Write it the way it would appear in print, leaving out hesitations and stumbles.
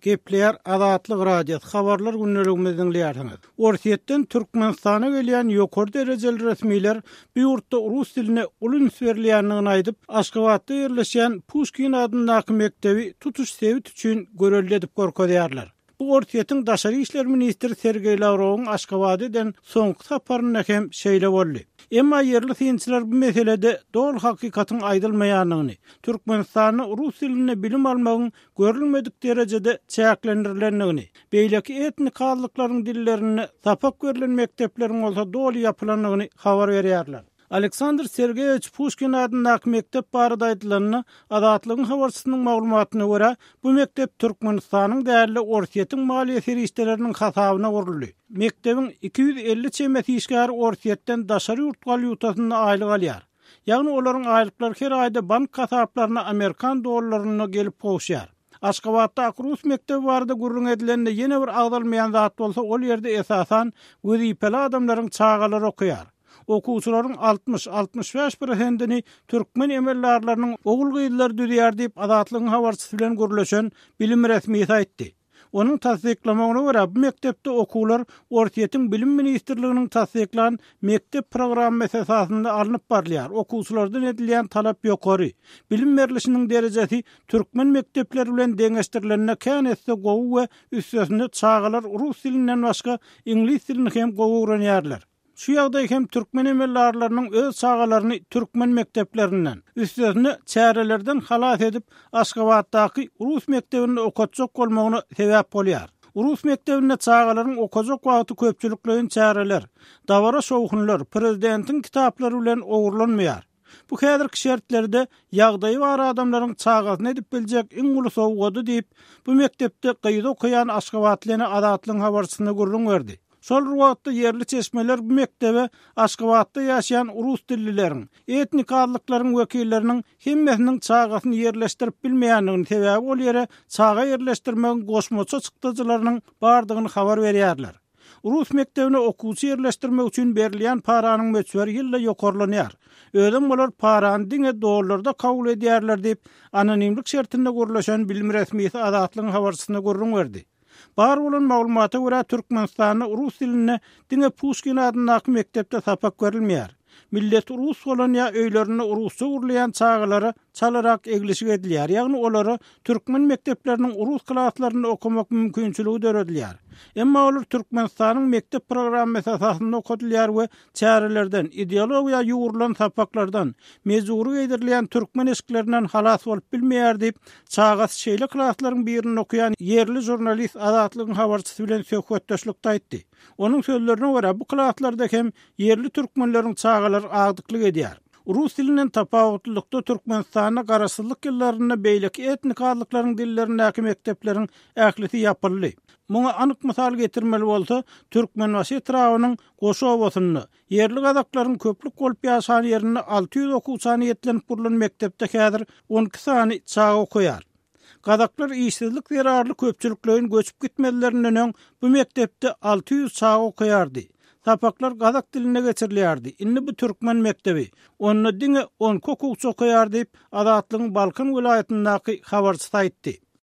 Gepleýär Azatlyk Radiosy, Habarlar gündeligimizi diňleýärsiňiz. Orsýetden Türkmenistana gelýän ýokary derejeli resmiler bu ýurtda rus diline uly üns berilýändigini aýdyp, Aşgabatda ýerleşýän Puşkin adyndaky mekdebi tutuş sebit üçin görelde edip görkezýärler. Bu Orsýetiň daşary işler ministri Sergeý Lawrowyň Aşgabada eden soňky saparynda hem şeýle boldy. Emma ýerli synçylar bu meselede doly hakykatyň aýdylmaýandygyny, Türkmenistanda rus dilinde bilim almagyň görülmedik derejede çäklendirilendigini, beýleki etnik azlyklaryň dillerinde sapak berlen mekdepleriň bolsa doly ýapylandygyny habar berýärler. Aleksandr Sergeýewiç Puşkin adyndaky mekdep barada aýdylanda, Azatlygyň habarçysynyň maglumatyna görä, bu mekdep Türkmenistanyň däl-de, Orsýetiň maliýe serişdeleriniň hasabyna guruldy. Mekdebiň 250 çemesi işgäri Orsýetden daşary ýurt walýutasynda aýlyk alýar. Ýagny olaryň aýlyklary her aýda bank hasaplaryna amerikan dollarynda gelip gowuşýar. Aşgabatdaky rus mekdebi barada gürrüň edilende ýene bir agzalmaýan zat bolsa ol ýerde esasan wezipeli adamlaryň çagalary okaýar. Okuwçylaryň 60, 65 prosentini türkmen emeldarlarynyň ogul-gyzlary düzýär diýip Azatlygyň habarçysy bilen gürleşen bilim resmisi aýtdy. Onuň tassyklamagyna görä, bu mekdepde okuwlar Orsýetiň Bilim ministrliginiň tassyklan mekdep programmasy esasynda alnyp barylýar, okuwçylardan edilýän talap ýokary, bilim berlişiniň derejesi türkmen mekdepleri bilen deňeşdirilende kän esse gowy we üstesine çagalar rus dilinden başga iňlis dilini hem gowy öwrenýärler. Şu ýagdaý hem türkmen emeldarlarynyň öz çagalaryny türkmen mekdeplerinden, üstesine çärelerden halas edip, Aşgabatdaky rus mekdebinde okatjak bolmagyna sebäp bolýar. Rus mekdebinde çagalaryň okajak wagty köpçülikleýin çäreler, dabara-şowhunlar, prezidentiň kitaplary bilen ogurlanmaýar. Bu häzirki şertlerde ýagdaýy bar adamlaryň çagasyna edip biljek iň uly sowgady diýip, bu mekdepde gyzy okaýan aşgabatly ene Azatlygyň habarçysyna gürrüň berdi. Şol bir wagtda ýerli çeşmeler bu mekdebe Aşgabatda ýaşaýan rus dillileriň, etnik azlyklaryň wekilleriniň hemmesiniň çagasyny ýerleşdirip bilmeýändigini, sebäbi ol ýere çaga ýerleşdirmegiň goşmaça çykdajylarynyň bardygyny habar berýärler. Rus mekdebine okuwçy ýerleşdirmek üçin berilýän paranyň möçberi ýylda ýokarlanýar. Özem olar parany diňe dollarda kabul edýärler diýip, anonimlik şertinde gürleşen bilim resmisi Azatlygyň habarçysyna gürrüň berdi. Bar bolan maglumata görä, Türkmenistanda rus dilinde diňe Puşkin adyndaky mekdepde sapak berilmeýär. Milleti rus bolan ýa öýlerinde rusça gürleýän çagalara çalarak eglişik edilýär, ýagny olara türkmen mekdepleriniň rus klaslarynda okamak mümkinçiligi döredilýär. Emma olar Türkmenistanyň mekdep programmasy esasynda okadylýar we çärelerden, ideologiýa ýugrulan sapaklardan, mejbury geýdirilýän türkmen eşiklerinden halas bolup bilmeýär diýip, çagasy şeýle klaslaryň birinde okaýan ýerli žurnalist Azatlygyň habarçysy bilen söhbetdeşlikde aýtdy. Onuň sözlerine görä, bu klaslarda hem ýerli türkmenleriň çagalary agdyklyk edýär. Rus dilinden tapawutlylykda Türkmenistanda garaşsyzlyk ýyllarynda beýleki etnik azlyklaryň dillerindäki mekdepleriň ählisi ýapyldy. Muňa anyk mysal getirmeli bolsa, Türkmenbaşy etrabynyň Goşa obasynda, ýerli gazaklaryň köplük bolup ýaşan ýerinde 600 okuwça niýetlenip gurlan mekdepde häzir 12 sany çaga okaýar. Gazaklar işsizlik zerarly köpçülikleýin göçüp gitmezlerinden öň bu mekdepde 600 çaga okaýardy. Sapaklar gazak dilinde geçirilýärdi. Indi bu türkmen mekdebi. Onda diňe 12 okuwçy okaýar diýip, Azatlygyň Balkan welaýatyndaky habarçysy aýtdy.